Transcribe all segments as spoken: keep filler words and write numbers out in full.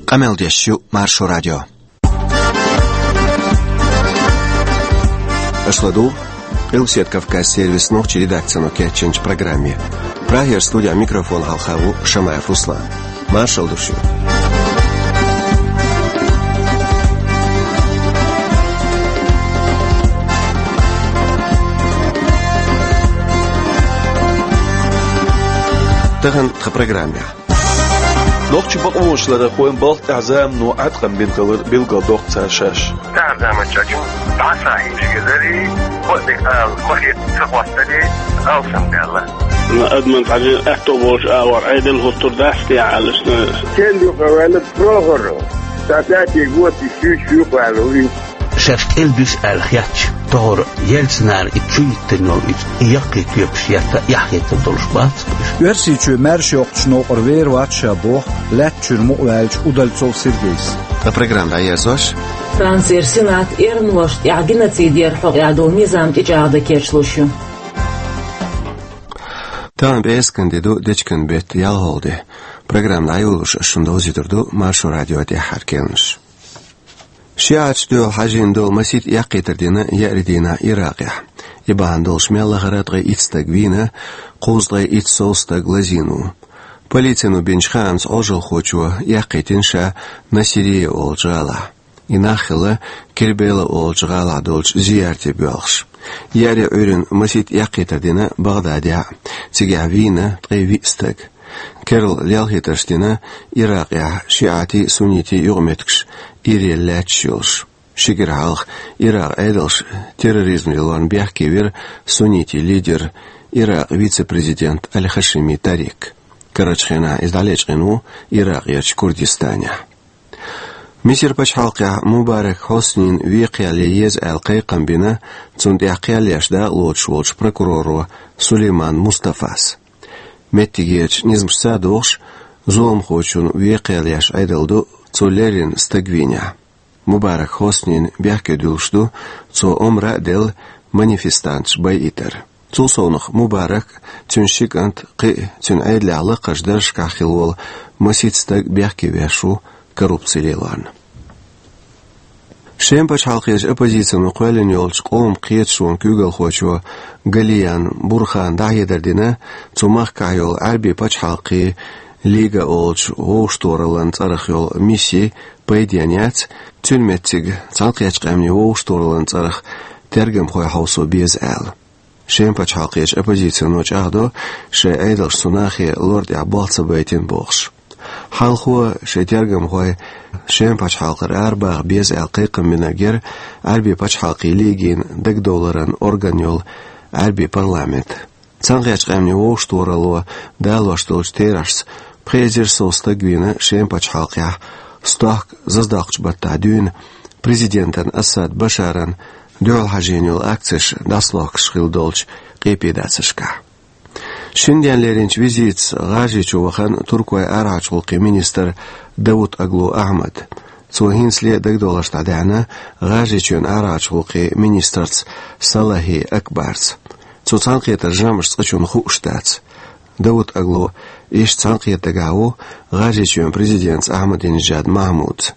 Къамел деш ю Маршо радио. Аша ладугӀу Къилбаседа Кавказ сервисан нохчийн редакцино кечйинчу программе. Прагера студехь микрофон хьалха ву Шамаев Руслан. Маршалла ду шуьга. Тахана тхан программехь. Нохчийн бакъонаш ларархойн балха тӀехь замано Ӏаткъам бина хилар билгалдоккху цара шаьш. Тахана заманчохь дӀа схьахьийзаш хиларе, кхо а дика ала, кхо хета ца хӀоттаре, алсамдаьлла. Адаман цхьана аьтто болчу агӀор Ӏедал хӀуттур дац те аьлла шуна. Стен ду-кх ваьлла Прохоров? Сан тӀатега воций шуьйш ю-кх аьлла вуьйцу. Шаьш кӀел дуьсу аьлла хетча, тохара Ельцинера и чу йиттина йолу и, и яккхий тоьпаш етта эхь хетар долуш бац-кх уьш. Оьрсийчоь маьрша йоккхучу новкъара вер вац ша боху лаьттачуьра мукъа ваьллачу Удальцов Сергейс. Ткъа программа дӀаерзош. Францера Сенат эрмалошна тӀехь геноцид яра хьокъехь долу низам тӀечӀагӀдан кечлуш ю. Тахана пӀераскан де ду, дечкен беттан ялхалгӀа де. Программа дӀайолош ас шуна довзуьйтур ду Маршо радион тӀаьххьара керланаш. ШиӀаташ дуьхьал хьажийна долу масийтта эккхийтар дина еарин дийнахь Иракъехь. И бахьана долуш мел лахара ткъе итт стаг вийна, кхузткъе итт сов стаг лазийна ву. Полицино бинчу хаамца Ӏожалхочо эккхийтина ша Насирия олучу гӀалахь. И нах хилла Кербела олучу гӀалахь долчу зиярте боьлхуш. Еарин Ӏуьйранна масийтта эккхийтар дина БагӀдадехь а, цигахь вийна ткъе виъ стаг. Керла лелхийтарш дина Иракъехь шиӀатийн а, суннитийн а юкъаметтигаш ирелла лаьтташ йолуш. Ши кӀира хьалха Иракъан Ӏедалш терроризман лелорна бехке вира суннитийн лидер, Иракъан вице-президент Аль-Хашими Тарик. Карарчу хенахь иза дӀалечкъина ву Иракъерчу Курдистанехь. Мисар пачхьалкхехь Мубарак Хьоснин вен кхел ян еза аьлла кхайкхам бина цунна тӀехь кхел еш дакъалоцуш волчу прокуроро Сулейман Мустафас. Меттигерчу низамашца а догӀуш, зуламхочун вен кхел еш Ӏедал ду цо леррина стаг вийнехь. Мубарак Хьоснин бехке дуьллуш ду цо омра а делла манифестанташ байъийтар. Цул совнаха Мубарак, цуьнан ши кӀант, кхин а цуьнан Ӏедалехь лакхарчу даржашкахь хилла волу масийтта стаг бехке веш ву коррупци лелорна. Шеман пачхьалкхерчу оппозицино кхоьллина йолчу къоман кхеташонан куьйгалхочо Галиян Бурхана дӀахьедар дина, цу махкахь йолу Ӏаьрбийн пачхьалкхийн Лига олучу вовшахтохараллин цӀарах йолу мисси пайденна яц, цуьнан меттиг Цхьаьнакхеттачу Къаьмнийн вовшахтохараллин цӀарах тергамхой хьовсо беза аьлла. Шеман пачхьалкхерчу оппозицино чӀагӀдо, шайн Ӏедалша цу нахе лор тӀехь болх ца байтина бохуш. Хьалхо шайн тергамхой Шеман пачхьалкхара арабаха беза аьлла кхайкхам бинарг яра Ӏаьрбийн пачхьалкхийн Лигин дагадовларан орган йолу Ӏаьрбийн парламент. Цхьаьнакхеттачу Къаьмнийн вовшахтохаралло далош долчу терахьашца пхи эзар сов стаг вийна Шеман пачхьалкхехь, стохка заздоккхучу баттахь дуьйна президентан Асад Башаран дуьхьал хьажийна йолу акцеш дӀасалохкуш хилла долчу къепедацаршкахь. Шина денна леринчу визитаца ГӀажарийчу вахана Туркойн арахьарчу гӀуллакхийн министр Давут Оглу Ахьмад. Цо хӀинцале дагадовларш дӀадаьхьна ГӀажарийчоьнан арахьарчу гӀуллакхийн министрца Салахи Акбарца. Цу цхьаьнакхетаран жамӀаш цкъачунна хууш дац. Давут Оглу иштта цхьаьнакхетта дагахь ву ГӀажарийчоьнан президентца Ахьмадинежад Махьмудца.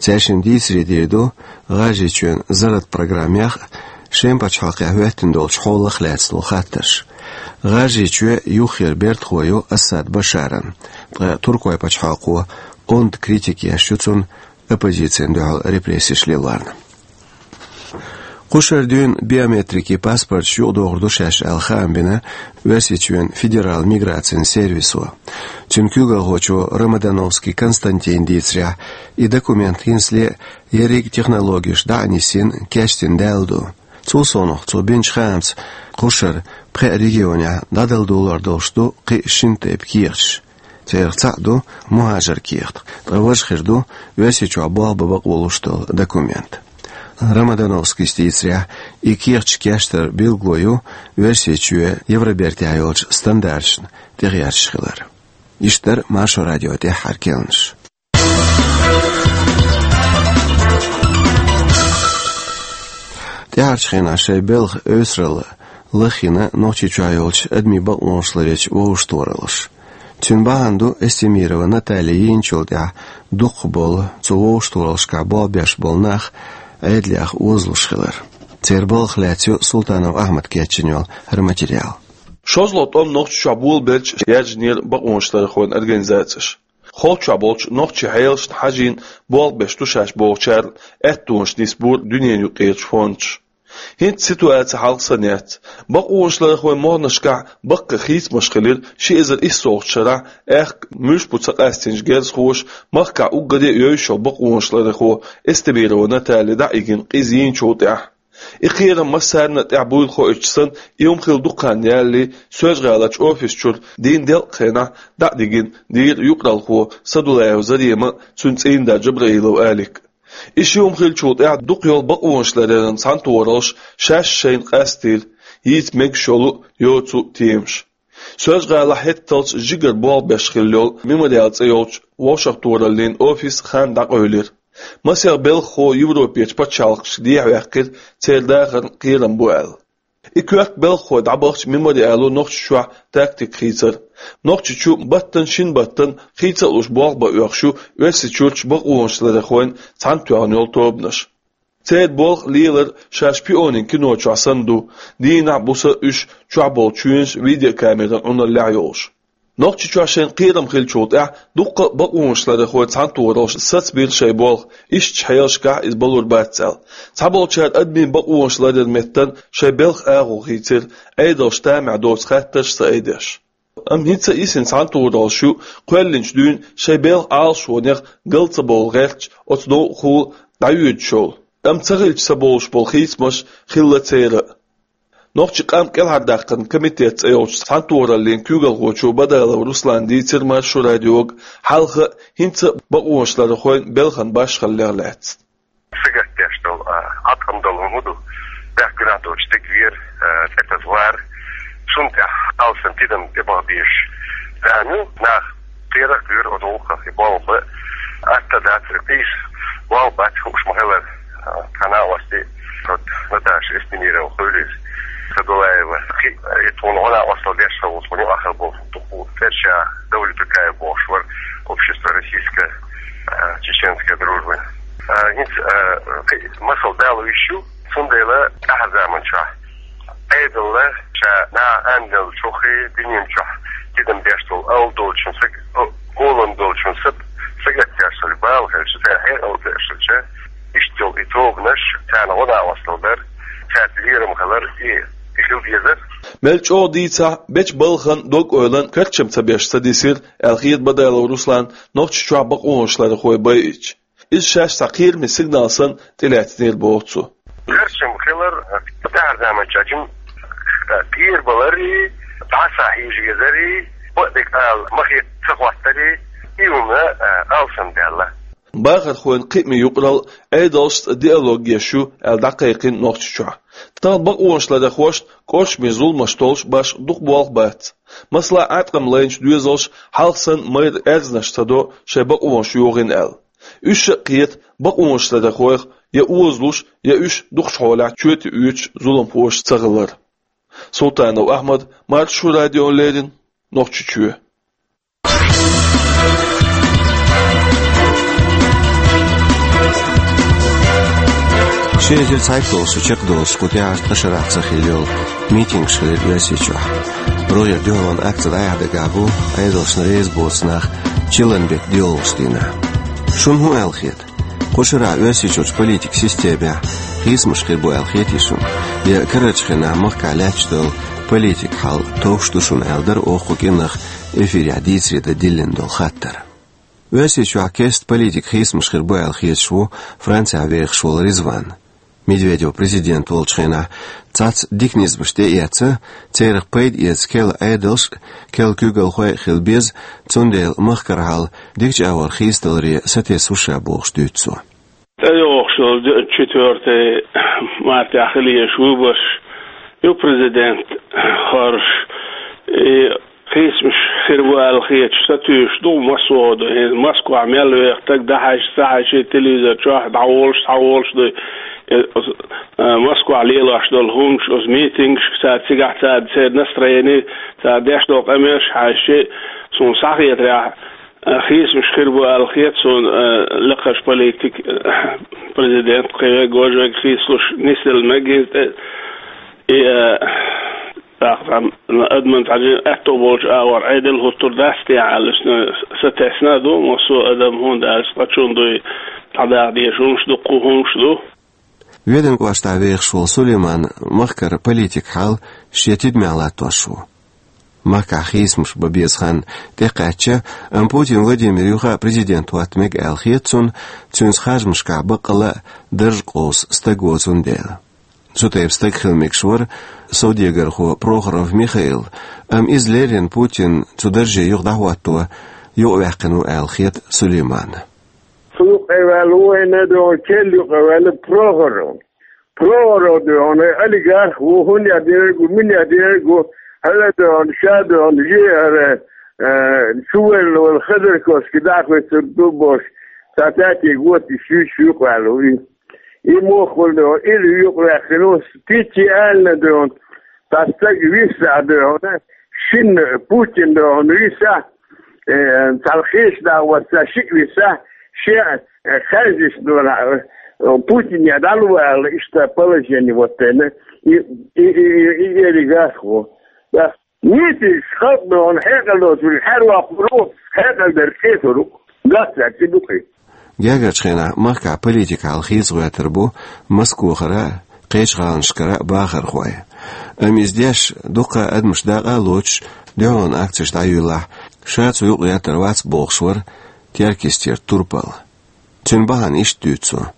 Цаьршиннан дийцаре дийр ду ГӀажарийчоьнан зарратан программех а, Шеман пачхьалкхехь хӀоьттина долчу хьолах а лаьцна долу хаттарш. ГӀажарийчоь юххера бертахо ю Асад Башаран, ткъа Туркойн пачхьалкхо онда критика еш ю цунна, оппозицина дуьхьал репрессеш лелорна. Кхушара дуьйна биометрикийн паспорташ юкъадохур ду шаьш аьлла хаам бина Оьрсийчоьнан федералан миграцин сервисо. Цуьнан куьйгалхочо Ромодановский Константина дийцарехь, и документ хӀинцале ерриг а технологеш дӀа а нисйина, кечдина даьлла ду. Цул совнаха цо бинчу хаамца, кхушара пхеа регионехь дӀадала долор долуш ду кхин а шина тайпа кехаташ. Царах цхьаъ ду мухӀажар кехат, ткъа важа хир ду Оьрсийчохь болх бан бакъо луш долу документ. Ромодановскийс дийцарехь, и кехаташ кечдар билгало ю Оьрсийчоь Евробертехь йолчу стандарташна тӀегӀерташ хилар. Иштта дара Маршо радион тӀаьххьара керланаш. ТӀаьхьарчу хенахь шайн белхан эвсаралла лаххийна Нохчийчохь йолчу адамийн бакъонаш ларъечу вовшахтохараллаша. Цуьнан бахьана ду Эстемирова Наталья йийначул тӀаьхьа дукхахболу цу вовшахтохараллашкахь болх беш болу нах Ӏедалех озалуш хилар. Церан балхах лаьцна ю Султанов Ахьмада кечйина йолу хӀара материал. ШозлагӀа тӀом Нохчийчохь болабелча яьржинера бакъонашларъярхойн организацеш. Холчохь болчу нохчийн хьелашна хьажийна болх беш ду шаьш бохучарна аьттонаш нисбора дуьненан юкъарчу фондаш. ХӀинца ситуаци хьалха санна яц. Бакъонашларъярхойн могӀанашкахь баккхий хийцамаш хилира ши эзар иссолгӀачу шарахь, аьхка муьлш бу ца къастийначу герзахоша махкахь уггаре а евзаш йолу бакъонашларъярхо Эстемирова Наталья дӀа а йигина къиза йийначул тӀаьхьа. И кхерам массарна а тӀехь буйла хоуьйтуш санна, и хӀума хилла дукха хан ялале, Соьлжа-ГӀаларчу офис чуьра дийнна делкъа хенахь дӀа а дигина дийра юкъаралхо Садулаев Зарема а, цуьнан цӀийнда Джабраилов Алик а. И ши хӀума хиллачул тӀаьхьа дукха йолу бакъонашларъяран цхьаьнатохараллаш шаьш шайна къастийра йийца мегаш йолу а, йоцу а темаш. Соьлжа-ГӀалахь хӀетталц жигара болх беш хилла йолу Мемориал цӀе йолчу вовшахтохараллин офис хан дӀакъевлира. Масех белхахо Европерчу пачхьалкхашка дехьаваьккхира, церан дахарна кхерам бу аьлла. И коьрта белхахой дӀабахча Мемориало Нохчийчохь тактика хийцира. Нохчийчу баттана шина баттана хийца а луш болх бан оьхуш ю Оьрсийчуьрчу бакъонашларъярхойн цхьаьнатоьхна йолу тобанаш. Церан болх а, лелар а шаьш шпионийн кино чохь санна ду, дийнахь а, буса а уьш чохь болу чоьнаш видеокамеран Ӏуналлехь йолуш. Нохчийчохь шайна кхерам хиллачул тӀаьхьа дуккха а бакъонашларъярхойн цхьаьнатохараллаш сацбийра шайн болх, ишттачу хьелашкахь иза балур бац аьлла. Цхьаболчара адамийн бакъонашларъяран меттана шайн белхан агӀо хийцира, Ӏедалша тамехь доцу хаттарш а ца айдеш. Амма хӀинца а йисина цхьаьнатохараллаш ю, кхоьллинчу дуьйна шайн белхан Ӏалашонех гал ца бовла гӀерташ, оцу новкъахула дӀайоьдуш йолу, амма ца хилча ца бовлуш болу хийцамаш хилла церан а. Нохчийн къам кӀелхьардаккхаран комитет цӀе йолчу цхьаьнатохараллин куьйгалхочо Бадалов Руслана дийцира Маршо радиога хьалха а, хӀинца а бакъонашларъярхойн белхан башхаллех лаьцна. Сагатдеш долу, а, Ӏаткъам долу хӀума ду, бехк гуьнахь доцуш стаг вер, а, цӀе таса вар. Цунна тӀехь алсам тидам тӀебаха безаш. Царна нах кхерах а кхоьру оцу гӀуллакхах и болх бан. Атта дац, и къийса болх бац хууш ма-хиллара. А, тхан накъостий, вот, Наташа Эстемирова хуьлийла, Садулаева, кхин, и тхуна гӀо-накъосталла деш хилла ву, тхуна юкъахь хилла болу, дукха ву, Ферша Давлетукаев бохуш вара, общество российской, а, чеченской дружбы. А, хӀинца, а, кхин, масал дала йиш ю, цундела тӀаьхьарчу заманчохь Ӏедална ша наха андалла чуххе дуьнен чохь тидам беш долу, ала долчун саг-, о-, олалла долчун саг-, сагатдеш долу бала хилча, церан хьекъал тешалча, иштта йолу и тобанаш, царна гӀо-накъосталла дар, цаьрца лерам хилар, и, и хила дезар. Мел чӀогӀа дийцахь, бечу балхана дог-ойланна карчам ца беш ца дисира, аьлла хета Бадалов Руслана Нохчийчохь бакъонашларъярхой байинчу. Иза шаьш цхьа кхераме сигнал санна тӀелаьцнера боху цо. Карчам хилар, тӀаьхьарчу заманчохь жимма, а, кхерабалар а, дӀасахьежа везар а, бакъдерг ала ма хета ца хӀоттар а, и хӀума, а, алсам даьлла. Бахархойн кхиамийн юкъаралла Ӏедалшца диалог еш ю аьлла дӀакхайкхина Нохчийчохь. Тахана бакъонашларъярхошна кӀоршаме зуламаш толлуш башха дукха болх бац. Масала, Ӏаткъам лайначу доьзалша хьалха санна майра аьрзнаш ца до шайн бакъонаш йохийна аьлла. Уьш а кхета бакъонашларъярхойх я озалуш, я уьш дукхачу хьолехь чоьте оьцуш зуламхоша ца хилар. Султанов Ахьмад, Маршо радиона леррина, Нохчийчоь. Ши эзар цхьайтталгӀа шо чекхдолуш кху тӀаьхьарчу ткъа шарахь ца хилла йолу митингаш хилира Оьрсийчохь. РогӀера дуьхьалонан акци дӀаяхьа дагахь бу Ӏедалшна реза боцу нах чиллан беттан доьалгӀачу дийнахь. Шуна хӀун аьлла хета? Кху шарахь Оьрсийчуьрчу политикан системехь хийцамаш хир бу аьлла хетий шуна? Я карарчу хенахь махкахь лаьтташ долу политикан хьал товш ду шуна аьлла дара оха кху кӀиранах эфирехь дийцаре дан диллина долу хаттар. Оьрсийчохь кеста политикан хийцамаш хир бу аьлла хеташ ву Францехь вехаш волу Ризван. Медведев президент волчу хенахь цхьацца дика низамаш тӀеэцна, церах пайда эца керла Ӏедалш а, керла куьйгалхой а хила беза, цундела махкара хьал дикачу агӀор хийцадаларе сатесна ву ша бохуш дуьйцу цо. ТӀейогӀуш йолу четвёртый мартехь хила езаш выбораш ю президент хӀорш. И хийцамаш хир бу аьлла хеташ сатуьйсуш ду массо а ду. ХӀинца Москвахь мел веха стаг дӀахьаьжча, ца хьаьжча, телевизор чохь дӀаволуш, схьаволуш дуй. Э, оз-, э, Москвахь лелош долу хӀуманаш, оцу митингашка цара цигахь цара церан настроени, цара деш долу къамелаш хьаьжча, суна схьахетарехь, э, хийцамаш хир бу аьлла хета суна, э, лекхачу политик, э, президент кхин вега, важа вега хийцалуш нисделла мега иза тӀе. И, э, тӀаккха адаман цхьа аьтто болчу агӀор Ӏедал хӀуттур дац те аьлла, иштта сатесна а ду массо а адам, хӀунда аьлча цкъачунна дуй, дӀадаха дезаш хӀуманаш ду, кху хӀуманаш ду. Веданан кӀоштахь вехаш волу Сулейман махкара политикан хьал шен тидамехь латтош ву. Махкахь хийцамаш бан беза хан тӀекхаьчча, амма Путин Владимир юха а президент хӀотта мега аьлла хета цунна, цуьнца харжамашкахь баккъалла а дарж къовса стаг воцунна дела. Цу тайпа стаг хила мегаш вара совдегархо Прохоров Михаил, амма иза леррина Путин цу дарже юха дӀахӀотто юкъаваьккхина ву аьлла хета Сулейманна. Цу юкъа ваьлла ву вайна, дуьхьал кел юкъа ваьлла Прохоров. Прохоров дуьхьал олигарх ву, хӀун яа дерг ву, мин яа дерг ву, хьала дуьхьал, ша дуьхьал, жиара, э, чувелла вала Ходорковский дӀахоьцур ду бохуш, цхьа тӀатега вотта и шуьйш юкъаваьлла ву и. И мохула дуьхьал, ира юкъаваьккхина ву, Пити аллина дуьхьал, цхьа стаг виссахь дуьхьал, шинна Путин дуьхьал виссахь, э, цхьана хешан дагӀа ваца шиъ виса, шен, э, хаьржаш долахь, э, Путине дӀалуш аьлла, иштта положение вот тайна, и, и, и, и, и олигарх ву. Да. Нийсачу халкъ дохана хьекъал доцург хьаьрвоккхур ву, хьекъал дерг кхетар ву. Гац цаьрца и дукха. Гергарчу хенахь махкахь политикан хьал хийца гӀоьртар бу Москвахара а, кхечу гӀаланашкара а бахархой. Амма иза деш, дуккха а адамаш дакъа а лоцуш, дуьхьалонан акцеш дӀайоьллахь, ша цу юкъа гӀертар вац бохуш вара Теркйистера Турпал. Цуьнан бахьана иштта дуьйцу цо.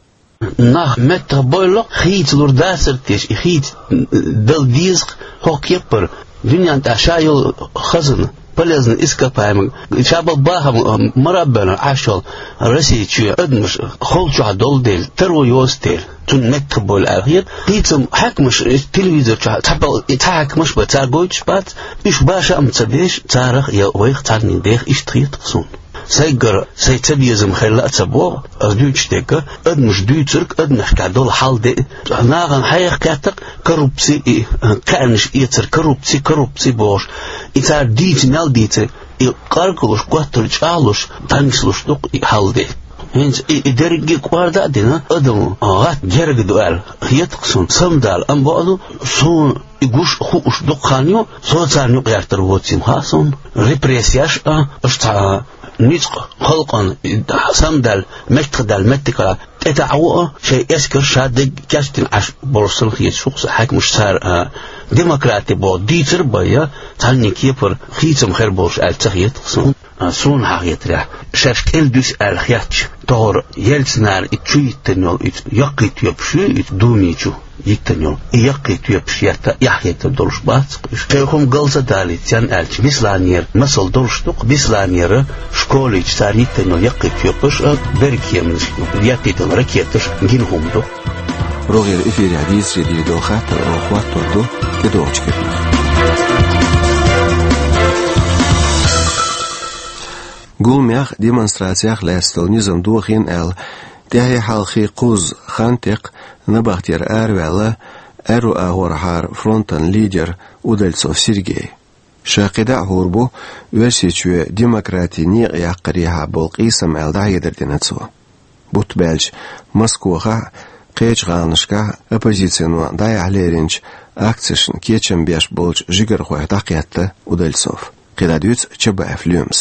Нах меттах бойла, хийцалур дацара теша, и хийца дала деза-кх хӀокху кеппара, дуьнен тӀехь ша йолу хазна, полезный ископаемый, ша болу бахам, а, мара а бевлла Ӏаш йолу Россия чоь адамаш холчохь долу дела, таро йоцу дела, цунна меттах бойла аьлла хета. Хийцам хьаькамаш, э, телевизор чохь цхьа пал-, и цхьа хьаькамаш бен, цара гойтуш бац, уьш баша а ма ца деш, царах я вайх цхьаннен деха иштта хета-кх суна. Сайгара сайн цабезам хилла а ца боху, ас дуьйцуш дерг, адамаш дуьйцург, адамашкахь долу хьал де, нахана хьеха кхетта-кх коррупци, и, кхаьънаш эцар, коррупци, коррупци бохуш. И цара дийца мел дийца, и къаркъалуш, коттар чӀагӀлуш, дӀанислуш ду-кх и хьал де. ХӀинца и, и дерриге а кӀорда а дина, адам гӀатта герга ду аьлла хета-кх суна, самадала, амма бакъду, суна и гуш а хууш дукха хан ю, со царна юкъа гӀертар воцийла хаьа суна. Репрессияш а, аша цхьа ницкъ халкъана и самадаьлла, меттахдаьлла меттигара тӀетаӀа ву а, шайн эскар ша дерг кечдина Ӏаш болуш санна хеташ ву-кх сан хьаькамаш цара, а, демократи боху дийцар а бен, я цхьанне кепара хийцам хир болуш аьлла ца хета-кх суна. А, суна хьахетарехь, шаьш кӀел дуьсу аьлла хетча, тохара Ельцинара и чу йиттина йолу и яккхий тоьпаш ю, и Думи чу йиттина йолу и яккхий тоьпаш етта эхь хетар долуш бац-кх уьш. Шайн хӀума гал ца далийта, царна аьлча, Бесланера масал долуш ду-кх, Бесланера школичу цара йиттина йолу яккхий тоьпаш а, берриг кеманаш еттийтина ракеташ гина хӀума ду. РогӀера эфирехь дийцаре дийр долу хаттар оха хӀоттор ду тӀедогӀучу кепара. Гуламехь демонстрацех лаьцна долу низам дохийна аьлла, тӀаьхье-хьалхе кхузза хан тӀекхна набахтера араваьлла аьрру агӀорхьара фронтан лидер Удальцов Сергей. Ша кхидӀа а хӀур бу Оьрсийчоь демократи некъа яккхарехьа болу къийсам аьлла дӀахьедар дина цо. Бутт баьлча, Москвахахь а, кхечу гӀаланашкахь а оппозицино дӀаяхьа леринчу акцешна кечам беш болчу жигархойх дӀакхетта Удальцов. КхидӀа дуьйцу Чабаев Лоьмас.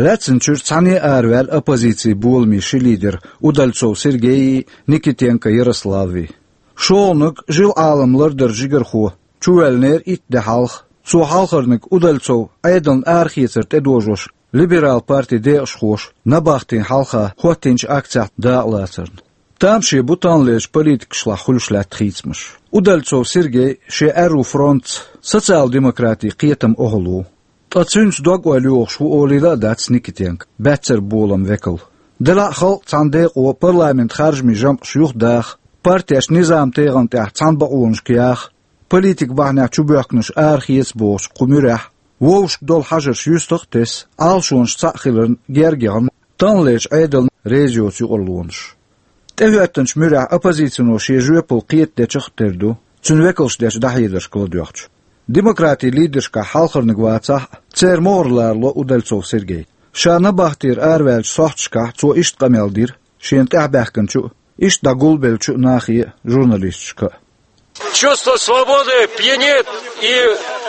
Лаьцначуьра цхьаьна а араваьлла оппозицин боламийн ши лидер Удальцов Сергейи, Никитенко Ярославви. ШолгӀаниг, жил Ӏалам лардаран жигархо, чувоьллинера итт де хьалха. Цо хьалхарниг Удальцов Ӏедална арахецар тӀедожош, либерал партин декъашхоша набахтин хьалха хӀоттийначу акцехь дакъалацарна. Тамаше бу таханлерчу политикашлахь хуьлуш лаьтта хийцамаш. Удальцов Сергей шен аьрру фронтца социал-демократин кхетам охьалу. Ткъа цуьнца дог-ойла йохуш ву олийла а дац Никитенко, баьццара болам векал. Делахь а халкъ цхьана декъо парламентан харжамийн жамӀаш юхадаха, партеш низам-тегӀан тӀехь цхьана бакъонашка яха, политикан бахьанехь чубоьхкинарш арахеца бохучу кху муьрехь, вовшашка долу хьажарш юьстах а тесна, Ӏалашонаш цхьаъ хиларна герга яхна таханлерчу Ӏедална реза йоцу юкъарлонаш. ТӀехӀоьттинчу муьрехь оппозицино шен жоьпалла кхетадечех а тера ду, цуьнан векалша дечу дӀахьедаршка ладоьгӀча. Демократийн лидершкахь хьалхарниг вацахь а, церан могӀара ларло Удальцов Сергейн. Ша набахтера араваьллачу сохьташкахь цо иштта къамел дира шена тӀаьхьабаьхкинчу а, иштта дӀагулбеллачу а нахе а, журналисташка а. Чувство свободы пьянит и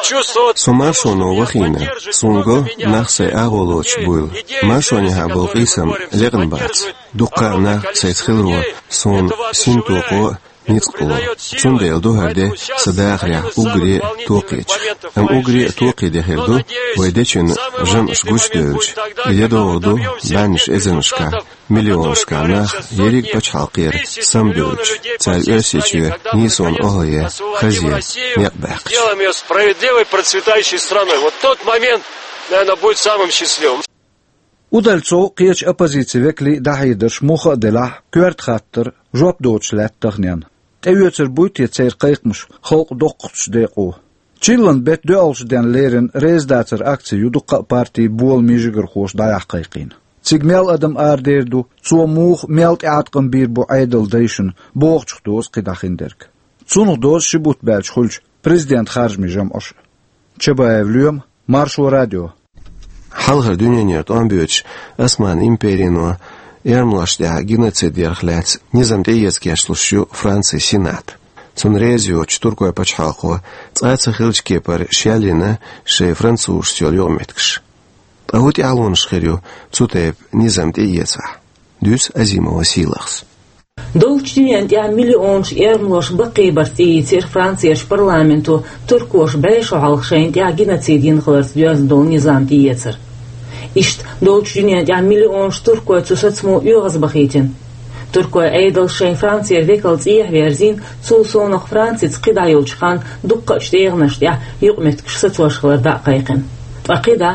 чувство... Со маршоно вахийна, суна го нах сайн агӀо лоцуш буйла. Маршонехьа болу къийсам лекъна бац. Дуккха а нах сайца хиларо суна синтокхо а, ницкъ а ло. Цундела ду хӀара де сан дахарехь уггаре а токхечех. Амма уггаре а токхе де хир ду вай дечуьнан жамӀаш гучудевлча, и де догӀур ду бӀеннаш эзарнашкахь, миллионашкахь нах ерриг а пачхьалкхера самабевлча, цара Оьрсийчоь нийсонан охӀла ян, хаза ян некъ баьккхича. Сделаем её справедливой, процветающей страной. Вот тот момент, наверное, будет самым счастливым. Удальцов а, кхечу оппозицин векалийн а дӀахьедарш муха а делахь, коьрта хаттар, жоп доцуш лаьтта таханенна. ТӀеоьцур буй те церан кхайкхамаш халкъан доккхачу декъо? Чиллан беттан доьалгӀачу денна лерина резадацаран акци ю дуккха а партийн боламийн жигархоша дӀаяхьа кхайкхийна. Цига мел адам арадер ду, цо муха, мел тӀеӀаткъам бийр бу Ӏедалан дайшна, бохучух доьзна кхидӀа хиндерг. Цунах доьзна ши бутт баьлча хуьлучу президентан харжамийн жамӀаш а. Чабаев Лоьма, Маршо радио. Хьалхара дуьненара тӀом боьдуш Османан империно эрмалошна тӀехь геноцид ярх лаьцна низам тӀеэца кечлуш ю Францин Сенат. Цунна реза йоцуш туркойн пачхьалкхо цкъа а ца хиллачу кепара шелйина шайн французашца йолу юкъаметтигаш. Ткъа хӀун тӀаьхьалонаш хир ю цу тайпа низам тӀеэцахь? Дуьйцу Азимова Сийлахьас. Долчу дуьненна тӀехь миллионаш эрмалош баккхийбарца тӀеийцира Францерчу парламенто туркоша бӀе шо хьалха шайна тӀехь геноцид йина хиларца доьзна долу низам тӀеэцар. Иштта долчу дуьненна тӀехь миллионаш туркой цу сацамо оьгӀазбахийтина. Туркойн Ӏедалша шайн Францера векал цӀехьа верзийна, цул совнах Францица кхидӀа йолчу ханна дуккха а тӀегӀанаш тӀехь юкъаметтигаш сацош хилар дӀа а кхайкхина. Ткъа кхидӀа,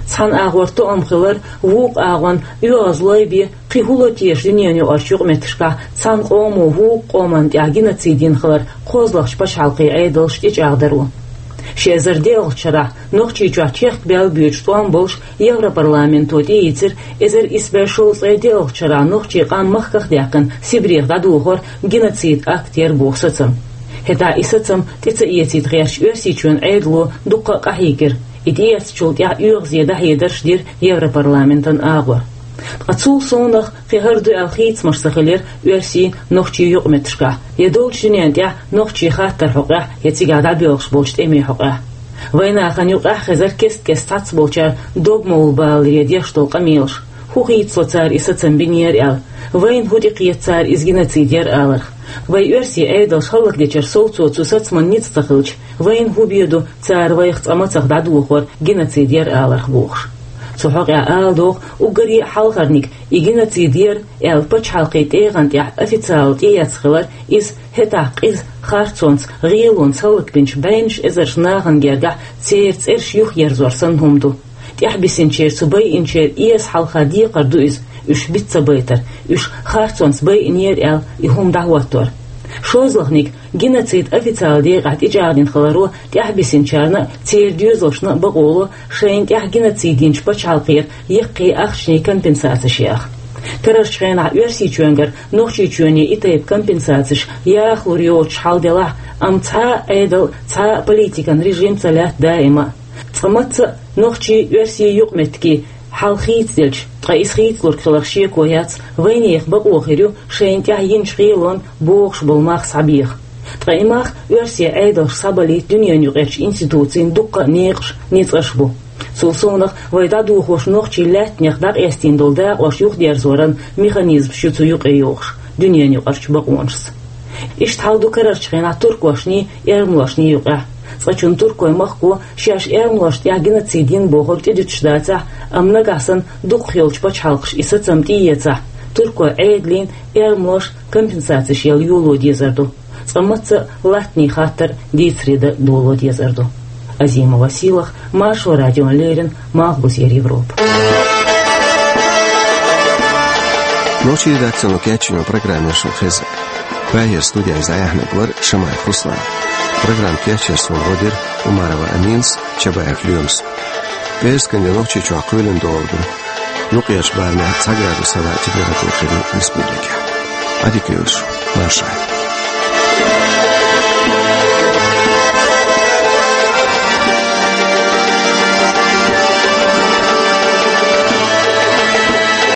цхьана агӀор тоам хилар, вукху агӀонна оьгӀазлой бен, кхин хӀун ло теша дуьненан юкъарчу юкъаметтигашкахь цхьана къомо вукху къоманна тӀехь геноцид йина хилар кхозлагӀчу пачхьалкхийн Ӏедалша тӀечӀагӀдаро. Ши эзар диъалгӀачу шарахь Нохчийчохь чехка баьлла боьдуш тӀом болуш Европарламенто тӀеийцира эзар исс бӀе шовзткъе диъалгӀачу шарахь нохчийн къам махках а даьккхина Сибрех дӀадохор геноцид акт яра боху сацам. ХӀетахь и сацам тӀе ца эцийта гӀертачу Оьрсийчоьнан Ӏедало дуккха а къахьийгира. И тӀеэцначул тӀаьхьа оьгӀазе дӀахьедарш дира Европарламентан агӀор. Ткъа цул совнах кхин хӀара ду аьлла хийцамаш ца хилира оьрсийн, нохчийн юкъаметтигашкахь, я долчу дуьненна тӀехь нохчийн хаттаран хьокъехь, я цигахь дӀабоьлхуш болчу тӀемийн хьокъехь. Вайн нахана юкъахь хезара кест-кеста цхьацболчара догмалла баларе деш долу къамелаш. ХӀун хийцало цара и сацам бинера аьлла? Вайна хӀун тӀекхета цара иза геноцид яра аларх? Вай оьрсийн Ӏедалш хӀаллакдечара совцо цу сацаман ницкъ ца хилча, вайна хӀун бен ду цара вайх цкъа мацах дӀадохор геноцид яра аларх бохуш? Цу хьокъехь ала догӀу уггаре а хьалхарниг, и геноцид яра аьлла пачхьалкхийн тӀегӀан тӀехь официалан тӀеэцна хилар, иза хӀетахь къиза харцонца, гӀелонца хӀаллакбинчу бӀеннаш эзарш нахана гергахь церан цӀераш юхаерзор санна хӀума ду. ТӀаьхьабисинчеран, цу байинчеран эса хьалха декхар ду иза, уьш биц ца байтар, уьш харцонца байинера аьлла и хӀума дӀахӀоттор. ШолгӀаниг, геноцид официалан декъехь тӀечӀагӀдина хиларо тӀаьхьабисинчарна а, церан доьзалшна а бакъо ло шайна тӀехь геноцид йинчу пачхьалкхера яккхий ахчанийн компенсацеш яха. Карарчу хенахь Оьрсийчоьнгара Нохчийчоьне и тайпа компенсацеш яхалур йоцуш хьал делахь а, амма цхьа а Ӏедал, цхьа а политикан режим ца лаьтта даима а. Цкъа мацца а нохчийн, оьрсийн юкъаметтигийн хьал хийцаделча, ткъа иза хийцалург хиларх шеко яц, вайнехан бакъо хир ю шайна тӀехь йинчу гӀелонна богӀуш болу мах схьабеха. Ткъа и мах оьрсийн Ӏедалша схьабалийта дуьненан юкъарчу институцийн дуккха а некъаш, ницкъаш бу. Цул совнах вай дӀадохош нохчийн лаьттанех дӀакъестийна долу дакъош юхадерзоран механизмаш ю цу юкъе йогӀуш дуьненан юкъарчу бакъонашца. Иштта хьал ду карарчу хенахь туркошний, эрмалошний юкъехь. Цкъачунна туркойн махко шаьш эрмалошна тӀехь геноцид йина бохург тӀедуьтуш дацахь а, амма нагахь санна дукхахйолчу пачхьалкхаша и сацам тӀеэцахь, туркойн Ӏедална эрмалоша компенсацеш яла йоло дезар ду. Цкъа мацца а латтанийн хаттар дийцаре дан доло дезар ду. Азимова Сийлахь, Маршо радиона леррина, Малхбузера Европа. Нохчийн редакцино кечйина программа шуна хезна. Прагера студехь иза дӀаяьхьнарг вара Шамаев Руслан. Программа кечъяр суна гӀо дира Умарова Аминас, Чабаев Лоьмас. ПӀераскан де Нохчийчохь кхоьлина догӀур ду. Юккъерчу барамехь цхьа градус хилла температура хир ю республикехь. Adică eu sunt, nu așa e.